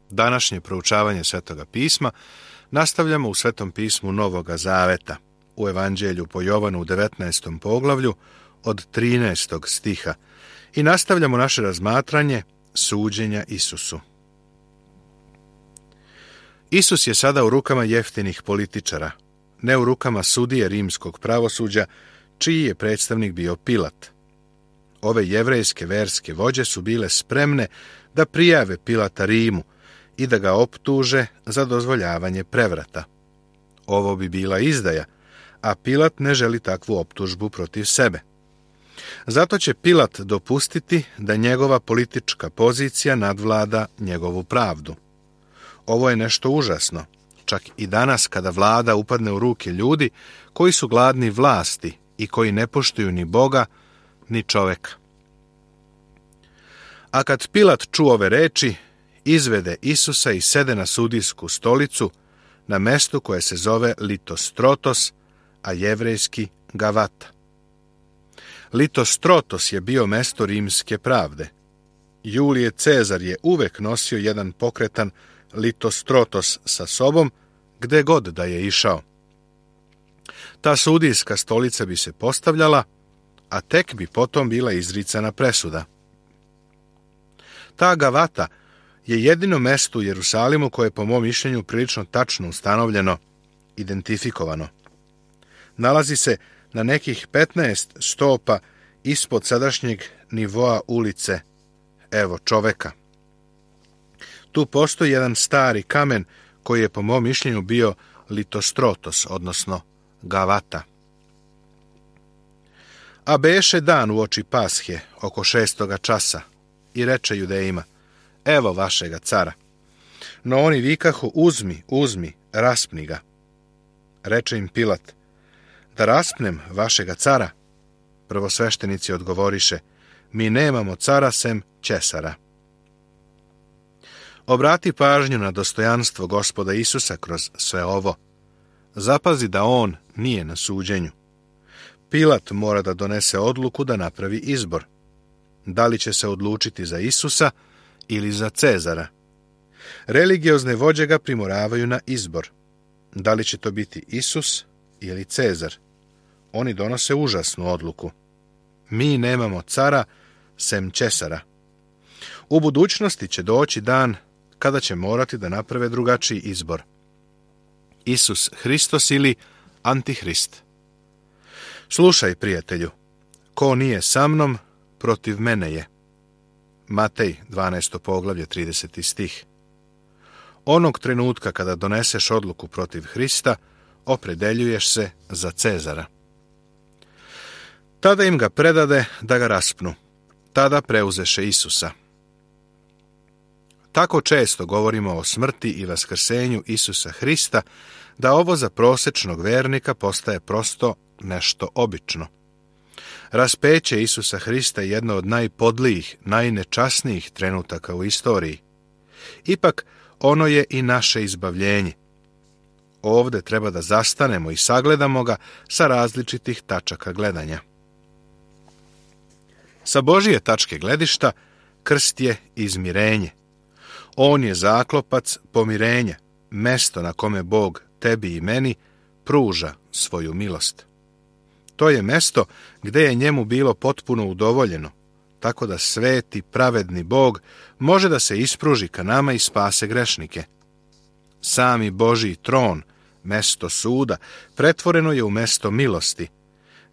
Današnje proučavanje Svetoga pisma nastavljamo u Svetom pismu Novoga Zaveta, u Evanđelju po Jovanu u 19. poglavlju od 13. stiha i nastavljamo naše razmatranje suđenja Isusu. Isus je sada u rukama jeftinih političara, ne u rukama sudije rimskog pravosuđa, čiji je predstavnik bio Pilat. Ove jevrejske verske vođe su bile spremne da prijave Pilata Rimu i da ga optuže za dozvoljavanje prevrata. Ovo bi bila izdaja, a Pilat ne želi takvu optužbu protiv sebe. Zato će Pilat dopustiti da njegova politička pozicija nadvlada njegovu pravdu. Ovo je nešto užasno, čak i danas kada vlada upadne u ruke ljudi koji su gladni vlasti i koji ne poštuju ni Boga, ni čoveka. A kad Pilat čuo ove reči, izvede Isusa i sede na sudijsku stolicu na mestu koje se zove Litostrotos, a jevrejski Gavata. Litostrotos je bio mesto rimske pravde. Julije Cezar je uvek nosio jedan pokretan Litostrotos sa sobom, gde god da je išao. Ta sudijska stolica bi se postavljala, a tek bi potom bila izricana presuda. Ta Gavata je jedino mesto u Jerusalimu koje je po mom mišljenju prilično tačno ustanovljeno, identifikovano. Nalazi se na nekih 15 stopa ispod sadašnjeg nivoa ulice, evo čoveka. Tu postoji jedan stari kamen koji je po mom mišljenju bio Litostrotos, odnosno Gavata. A beše dan uoči Pashe, oko 6. časa, i reče Judejima, evo vašega cara. No oni vikahu, uzmi, uzmi, raspni ga. Reče im Pilat, da raspnem vašega cara? Prvosveštenici odgovoriše, mi nemamo cara sem Ćesara. Obrati pažnju na dostojanstvo Gospoda Isusa kroz sve ovo. Zapazi da on nije na suđenju. Pilat mora da donese odluku da napravi izbor. Da li će se odlučiti za Isusa ili za Cezara? Religiozne vođe ga primoravaju na izbor. Da li će to biti Isus ili Cezar? Oni donose užasnu odluku. Mi nemamo cara sem Ćesara. U budućnosti će doći dan kada će morati da naprave drugačiji izbor. Isus Hristos ili Antihrist. Slušaj, prijatelju, ko nije sa mnom, protiv mene je. Matej, 12. poglavlje, 30. stih. Onog trenutka kada doneseš odluku protiv Hrista, opredeljuješ se za Cezara. Tada im ga predade da ga raspnu. Tada preuzeše Isusa. Tako često govorimo o smrti i vaskrsenju Isusa Hrista, da ovo za prosečnog vernika postaje prosto nešto obično. Raspeće Isusa Hrista je jedno od najpodlijih, najnečasnijih trenutaka u istoriji. Ipak, ono je i naše izbavljenje. Ovde treba da zastanemo i sagledamo ga sa različitih tačaka gledanja. Sa Božije tačke gledišta, krst je izmirenje. On je zaklopac pomirenja, mesto na kome Bog tebi i meni pruža svoju milost. To je mesto gde je njemu bilo potpuno udovoljeno, tako da sveti, pravedni Bog može da se ispruži ka nama i spase grešnike. Sami Božji tron, mesto suda, pretvoreno je u mesto milosti,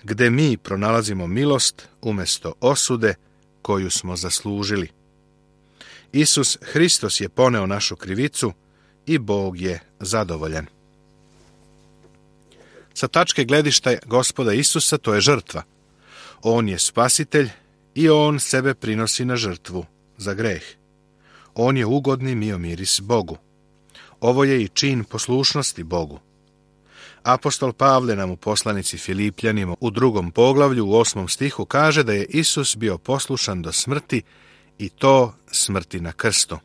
gde mi pronalazimo milost umesto osude koju smo zaslužili. Isus Hristos je poneo našu krivicu i Bog je zadovoljan. Sa tačke gledišta Gospoda Isusa to je žrtva. On je spasitelj i on sebe prinosi na žrtvu za greh. On je ugodni miomiris Bogu. Ovo je i čin poslušnosti Bogu. Apostol Pavle nam u poslanici Filipljanima u 2. poglavlju u 8. stihu kaže da je Isus bio poslušan do smrti i to smrti na krstu.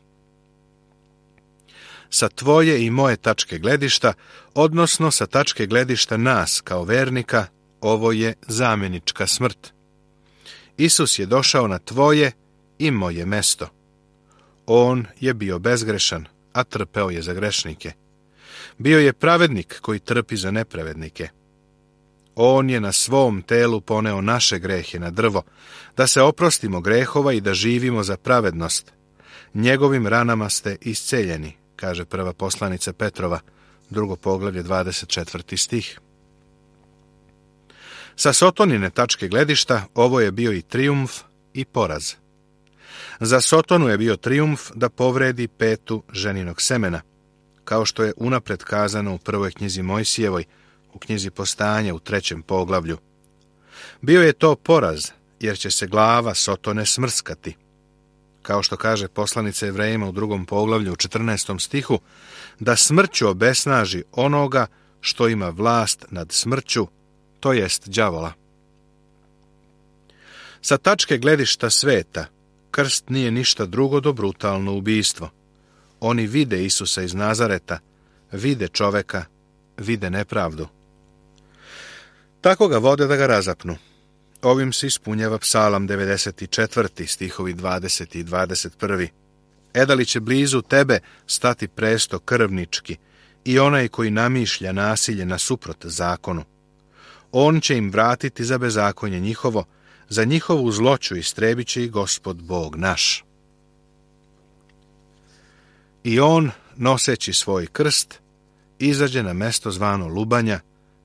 Sa tvoje i moje tačke gledišta, odnosno sa tačke gledišta nas kao vernika, ovo je zamjenička smrt. Isus je došao na tvoje i moje mesto. On je bio bezgrešan, a trpeo je za grešnike. Bio je pravednik koji trpi za nepravednike. On je na svom telu poneo naše grehe na drvo, da se oprostimo grehova i da živimo za pravednost. Njegovim ranama ste isceljeni, kaže prva poslanica Petrova, 2. poglavlje, 24. stih. Sa Sotonine tačke gledišta ovo je bio i trijumf i poraz. Za Sotonu je bio trijumf da povredi petu ženinog semena, kao što je unapred kazano u prvoj knjizi Mojsijevoj, u knjizi Postanja u 3. poglavlju. Bio je to poraz, jer će se glava Sotone smrskati. Kao što kaže poslanica Jevrejima u 2. poglavlju u 14. stihu, da smrću obesnaži onoga što ima vlast nad smrću, to jest đavola. Sa tačke gledišta sveta, krst nije ništa drugo do brutalno ubistvo. Oni vide Isusa iz Nazareta, vide čoveka, vide nepravdu. Tako ga vode da ga razapnu. Ovim se ispunjava Psalam 94. stihovi 20. i 21. Da li će blizu tebe stati presto krvnički i onaj koji namišlja nasilje nasuprot zakonu. On će im vratiti za bezakonje njihovo, za njihovu zloću istrebit će i Gospod Bog naš. I on, noseći svoj krst, izađe na mesto zvano Lubanja,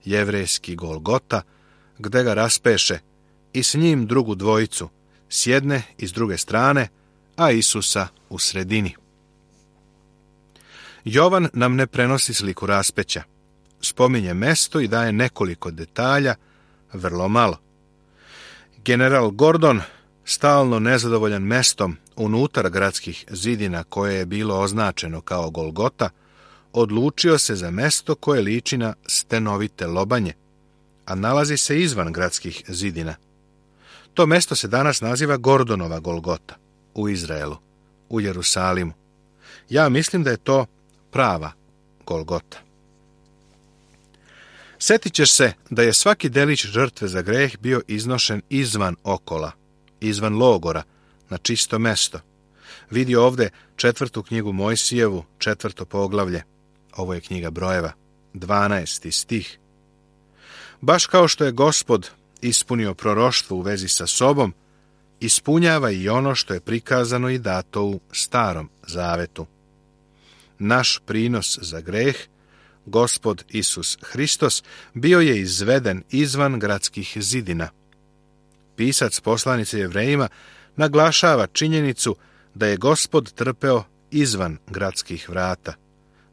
jevrejski Golgota, gde ga raspeše, i s njim drugu dvojicu, s jedne i s druge strane, a Isusa u sredini. Jovan nam ne prenosi sliku raspeća. Spominje mesto i daje nekoliko detalja, vrlo malo. General Gordon, stalno nezadovoljan mestom unutar gradskih zidina koje je bilo označeno kao Golgota, odlučio se za mesto koje liči na stenovite lobanje, a nalazi se izvan gradskih zidina. To mesto se danas naziva Gordonova Golgota u Izraelu, u Jerusalimu. Ja mislim da je to prava Golgota. Sjetit ćeš se da je svaki delić žrtve za greh bio iznošen izvan okola, izvan logora, na čisto mesto. Vidi ovdje 4. knjigu Mojsijevu, 4. poglavlje. Ovo je knjiga Brojeva, 12. stih. Baš kao što je Gospod ispunio proroštvo u vezi sa sobom, ispunjava i ono što je prikazano i dato u Starom zavetu. Naš prinos za greh, Gospod Isus Hristos, bio je izveden izvan gradskih zidina. Pisac poslanice Jevrejima naglašava činjenicu da je Gospod trpeo izvan gradskih vrata.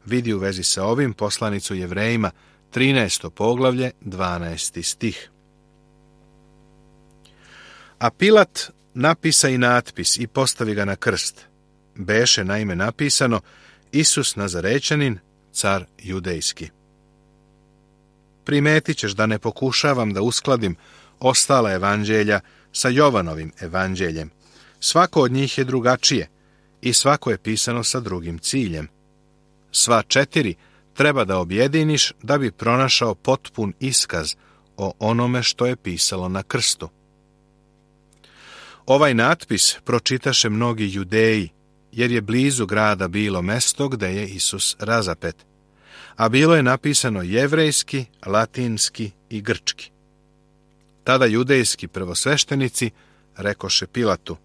Vidi u vezi sa ovim poslanicu Jevrejima, 13. poglavlje, 12. stih. A Pilat napisa i natpis i postavi ga na krst. Beše naime napisano Isus Nazarećanin, car judejski. Primetit ćeš da ne pokušavam da uskladim ostala evanđelja sa Jovanovim evanđeljem. Svako od njih je drugačije i svako je pisano sa drugim ciljem. Sva 4 treba da objediniš da bi pronašao potpun iskaz o onome što je pisalo na krstu. Ovaj natpis pročitaše mnogi Judeji, jer je blizu grada bilo mesto gde je Isus razapet, a bilo je napisano jevrejski, latinski i grčki. Tada judejski prvosveštenici rekoše Pilatu,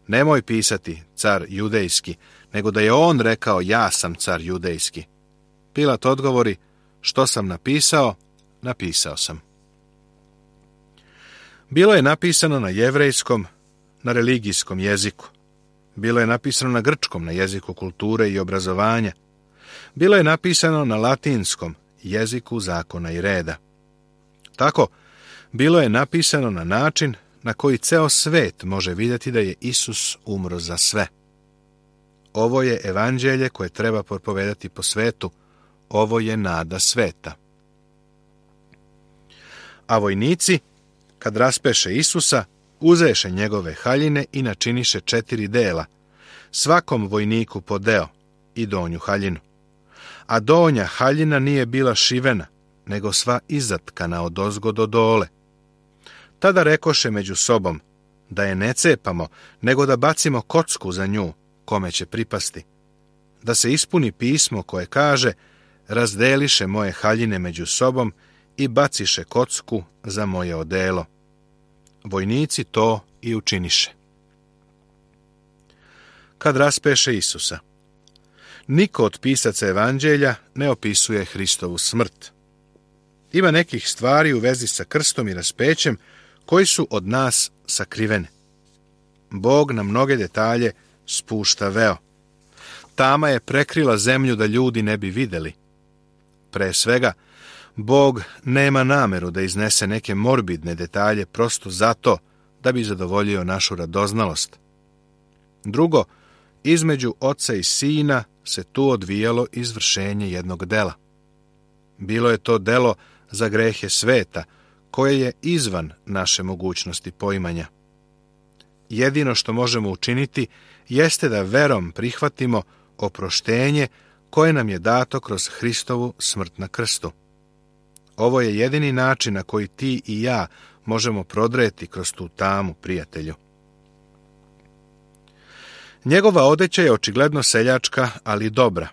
nemoj pisati car judejski, nego da je on rekao ja sam car judejski. Pilat odgovori, što sam napisao, napisao sam. Bilo je napisano na jevrejskom, na religijskom jeziku. Bilo je napisano na grčkom, na jeziku kulture i obrazovanja. Bilo je napisano na latinskom, jeziku zakona i reda. Tako, bilo je napisano na način na koji ceo svet može vidjeti da je Isus umro za sve. Ovo je evanđelje koje treba propovedati po svetu. Ovo je nada sveta. A vojnici, kad raspeše Isusa, uzeše njegove haljine i načiniše 4 dela, svakom vojniku po deo i donju haljinu. A donja haljina nije bila šivena, nego sva izatkana odozgo do dole. Tada rekoše među sobom, da je ne cepamo, nego da bacimo kocku za nju, kome će pripasti. da se ispuni pismo koje kaže: razdeliše moje haljine među sobom i baciše kocku za moje odelo. Vojnici to i učiniše. Kad raspeše Isusa. Niko od pisaca evanđelja ne opisuje Hristovu smrt. Ima nekih stvari u vezi sa krstom i raspećem koji su od nas sakrivene. Bog na mnoge detalje spušta veo. Tama je prekrila zemlju da ljudi ne bi vidjeli. Pre svega, Bog nema nameru da iznese neke morbidne detalje prosto zato da bi zadovoljio našu radoznalost. Drugo, između oca i sina se tu odvijalo izvršenje jednog dela. Bilo je to delo za grehe sveta, koje je izvan naše mogućnosti poimanja. Jedino što možemo učiniti jeste da verom prihvatimo oproštenje koje nam je dato kroz Hristovu smrt na krstu. Ovo je jedini način na koji ti i ja možemo prodreti kroz tu tamu, prijatelju. Njegova odeća je očigledno seljačka, ali dobra.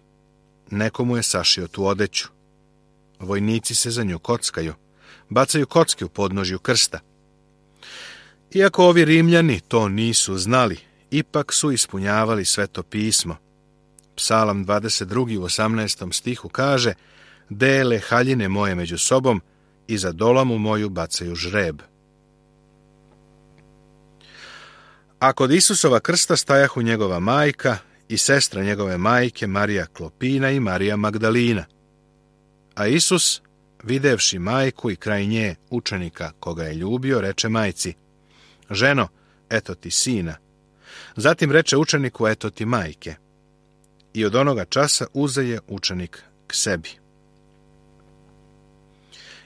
Nekomu je sašio tu odeću. Vojnici se za nju kockaju. Bacaju kocke u podnožju krsta. Iako ovi Rimljani to nisu znali, ipak su ispunjavali Sveto pismo. Psalam 22. u 18. stihu kaže: dele haljine moje među sobom i za dolamu moju bacaju žreb. A kod Isusova krsta stajahu njegova majka i sestra njegove majke Marija Klopina i Marija Magdalina. A Isus, videvši majku i kraj nje učenika koga je ljubio, reče majci: ženo, eto ti sina. Zatim reče učeniku: eto ti majke. I od onoga časa uzeje učenik k sebi.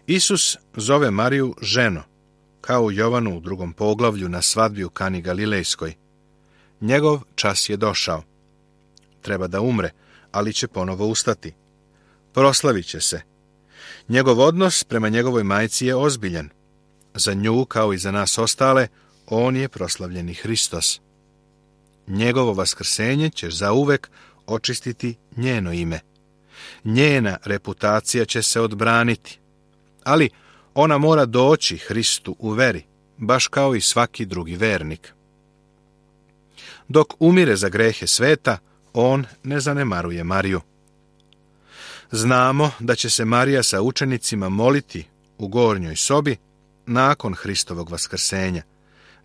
Isus zove Mariju ženo, kao u Jovanu u 2. poglavlju na svadbi u Kani Galilejskoj. Njegov čas je došao. Treba da umre, ali će ponovo ustati. Proslavit će se. Njegov odnos prema njegovoj majci je ozbiljan. Za nju, kao i za nas ostale, on je proslavljeni Hristos. Njegovo vaskrsenje će zauvek očistiti njeno ime. Njena reputacija će se odbraniti. Ali ona mora doći Hristu u veri, baš kao i svaki drugi vernik. Dok umire za grehe sveta, on ne zanemaruje Mariju. Znamo da će se Marija sa učenicima moliti u gornjoj sobi nakon Hristovog vaskrsenja.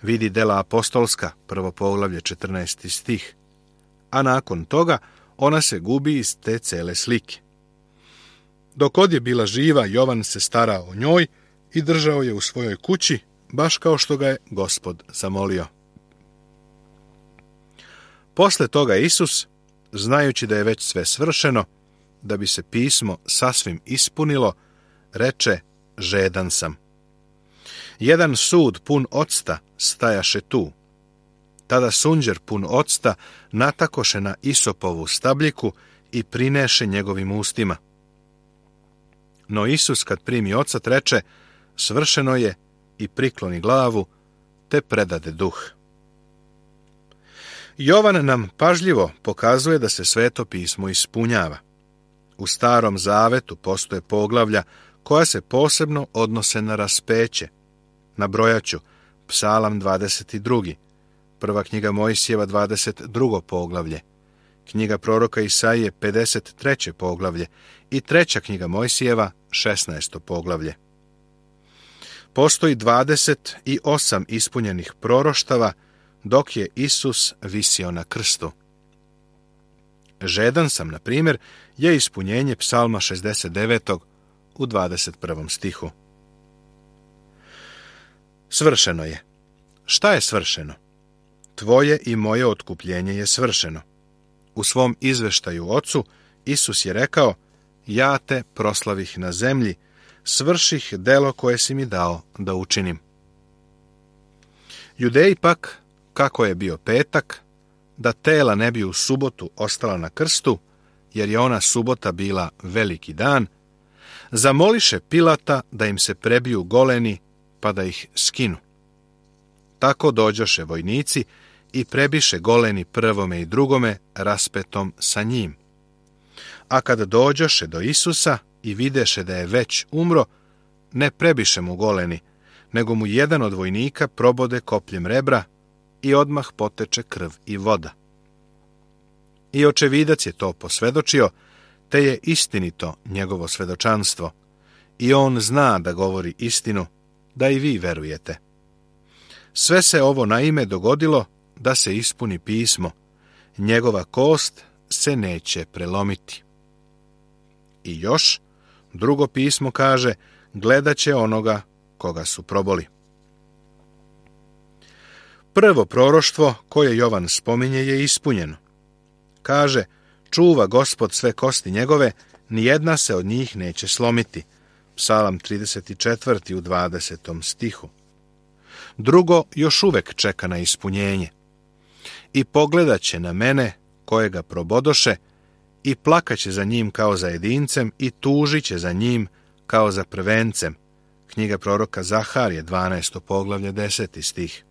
Vidi dela apostolska, 1. poglavlje 14. stih. A nakon toga ona se gubi iz te cele slike. Dok god je bila živa, Jovan se starao o njoj i držao je u svojoj kući, baš kao što ga je Gospod zamolio. Posle toga Isus, znajući da je već sve svršeno, da bi se pismo sasvim ispunilo, reče: žedan sam. Jedan sud pun octa stajaše tu. Tada sunđer pun octa natakoše na isopovu stabljiku i prineše njegovim ustima. No Isus, kad primi ocat, reče: svršeno je, i prikloni glavu, te predade duh. Jovan nam pažljivo pokazuje da se Sveto pismo ispunjava. U Starom zavetu postoje poglavlja koja se posebno odnose na raspeće. Nabrojaću: Psalam 22. Prva knjiga Mojsijeva 22. poglavlje, knjiga proroka Isaije 53. poglavlje i treća knjiga Mojsijeva 16. poglavlje. Postoji 28 ispunjenih proroštava dok je Isus visio na krstu. Žedan sam, na primjer, je ispunjenje Psalma 69. u 21. stihu. Svršeno je. Šta je svršeno? Tvoje i moje otkupljenje je svršeno. U svom izveštaju Ocu, Isus je rekao: ja te proslavih na zemlji, svrših delo koje si mi dao da učinim. Judeji pak, kako je bio petak, da tela ne bi u subotu ostala na krstu, jer je ona subota bila veliki dan, zamoliše Pilata da im se prebiju goleni, pa da ih skinu. Tako dođoše vojnici i prebiše goleni prvome i drugome raspetom sa njim. A kad dođoše do Isusa i videše da je već umro, ne prebiše mu goleni, nego mu jedan od vojnika probode kopljem rebra i odmah poteče krv i voda. I očevidac je to posvedočio, te je istinito njegovo svedočanstvo, i on zna da govori istinu, da i vi verujete. Sve se ovo naime dogodilo da se ispuni pismo, njegova kost se neće prelomiti. I još, drugo pismo kaže, gledat će onoga koga su proboli. Prvo proroštvo koje Jovan spominje je ispunjeno. Kaže, čuva Gospod sve kosti njegove, nijedna se od njih neće slomiti. Psalam 34. u 20. stihu. Drugo još uvek čeka na ispunjenje. I pogledat će na mene, kojega probodoše, i plakaće za njim kao za jedincem, i tužit će za njim kao za prvencem. Knjiga proroka Zaharije, 12. poglavlje, 10. stih.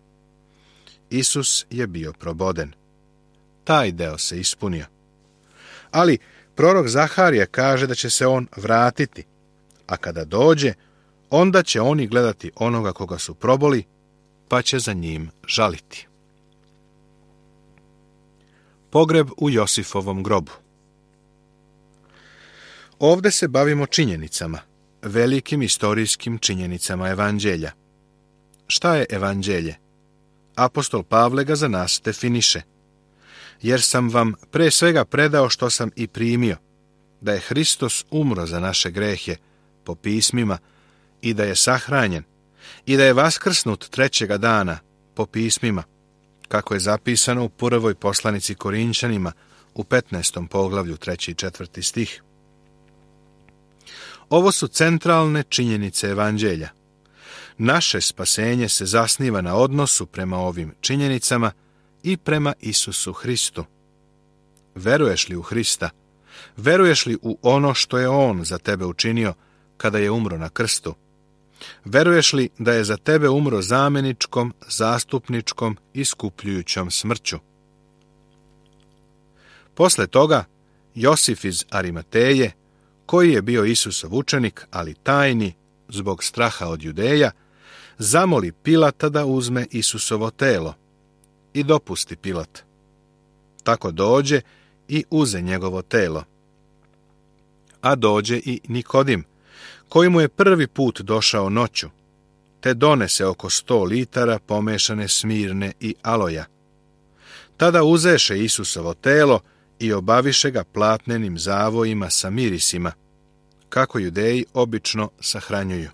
Isus je bio proboden. Taj deo se ispunio. Ali prorok Zaharije kaže da će se on vratiti, a kada dođe, onda će oni gledati onoga koga su proboli, pa će za njim žaliti. Pogreb u Josifovom grobu. Ovde se bavimo činjenicama, velikim istorijskim činjenicama evanđelja. Šta je evanđelje? Apostol Pavle ga za nas definiše. Jer sam vam pre svega predao što sam i primio, da je Hristos umro za naše grehe po pismima i da je sahranjen i da je vaskrsnut trećega dana po pismima, kako je zapisano u prvoj poslanici Korinćanima u 15. poglavlju 3. i 4. stih. Ovo su centralne činjenice evanđelja. Naše spasenje se zasniva na odnosu prema ovim činjenicama i prema Isusu Hristu. Veruješ li u Hrista? Veruješ li u ono što je On za tebe učinio kada je umro na krstu? Veruješ li da je za tebe umro zamjeničkom, zastupničkom, iskupljujućom smrću? Posle toga, Josif iz Arimateje, koji je bio Isusov učenik, ali tajni, zbog straha od Judeja, zamoli Pilata da uzme Isusovo telo i dopusti Pilat. Tako dođe i uze njegovo telo. A dođe i Nikodim, koji mu je prvi put došao noću, te donese oko 100 litara pomešane smirne i aloja. Tada uzeše Isusovo telo i obaviše ga platnenim zavojima sa mirisima, kako Judeji obično sahranjuju.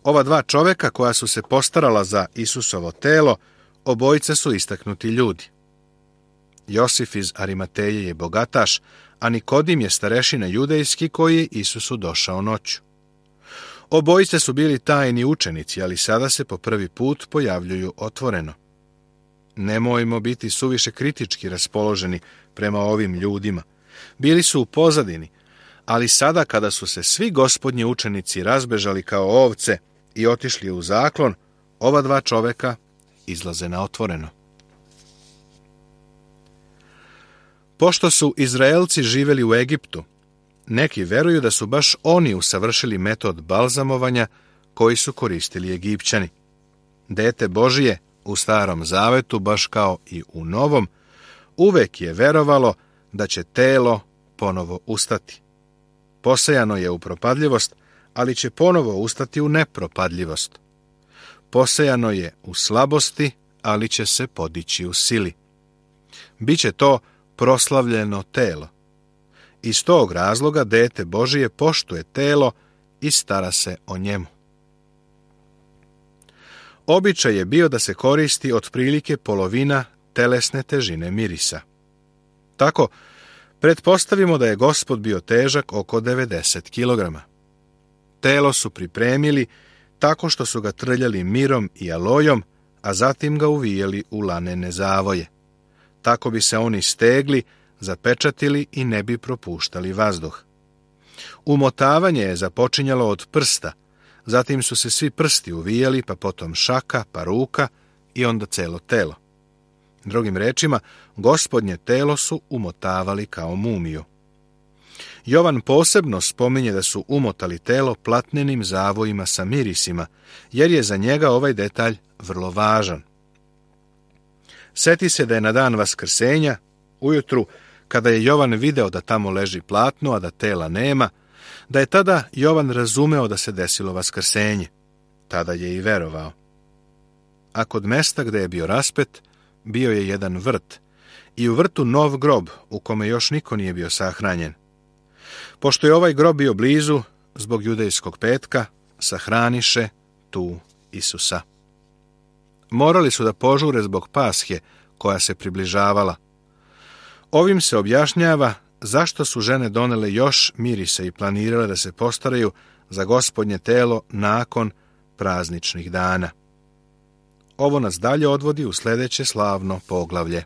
Ova dva čoveka koja su se postarala za Isusovo telo, obojica su istaknuti ljudi. Josif iz Arimateje je bogataš, a Nikodim je starešina judejski koji je Isusu došao noću. Obojice su bili tajni učenici, ali sada se po prvi put pojavljuju otvoreno. Nemojmo biti suviše kritički raspoloženi prema ovim ljudima. Bili su u pozadini, ali sada kada su se svi gospodnji učenici razbežali kao ovce i otišli u zaklon, ova dva čoveka izlaze na otvoreno. Pošto su Izraelci živjeli u Egiptu, neki veruju da su baš oni usavršili metod balzamovanja koji su koristili Egipćani. Dete Božije u Starom Zavetu, baš kao i u Novom, uvek je verovalo da će telo ponovo ustati. Posejano je u propadljivost, ali će ponovo ustati u nepropadljivost. Posejano je u slabosti, ali će se podići u sili. Biće to proslavljeno telo. Iz tog razloga dete Božije poštuje telo i stara se o njemu. Običaj je bio da se koristi otprilike polovina telesne težine mirisa. Tako, pretpostavimo da je Gospod bio težak oko 90 kg. Telo su pripremili tako što su ga trljali mirom i alojom, a zatim ga uvijeli u lanene zavoje. Tako bi se oni stegli, zapečatili i ne bi propuštali vazduh. Umotavanje je započinjalo od prsta, zatim su se svi prsti uvijali, pa potom šaka, pa ruka i onda celo telo. Drugim rečima, Gospodnje telo su umotavali kao mumiju. Jovan posebno spominje da su umotali telo platnenim zavojima sa mirisima, jer je za njega ovaj detalj vrlo važan. Seti se da je na dan Vaskrsenja, ujutru, kada je Jovan video da tamo leži platno, a da tela nema, da je tada Jovan razumeo da se desilo Vaskrsenje. Tada je i verovao. A kod mesta gde je bio raspet, bio je jedan vrt, i u vrtu nov grob, u kome još niko nije bio sahranjen. Pošto je ovaj grob bio blizu, zbog judejskog petka, sahraniše tu Isusa. Morali su da požure zbog Pashe, koja se približavala. Ovim se objašnjava zašto su žene donele još mirise i planirale da se postaraju za Gospodnje telo nakon prazničnih dana. Ovo nas dalje odvodi u sljedeće slavno poglavlje.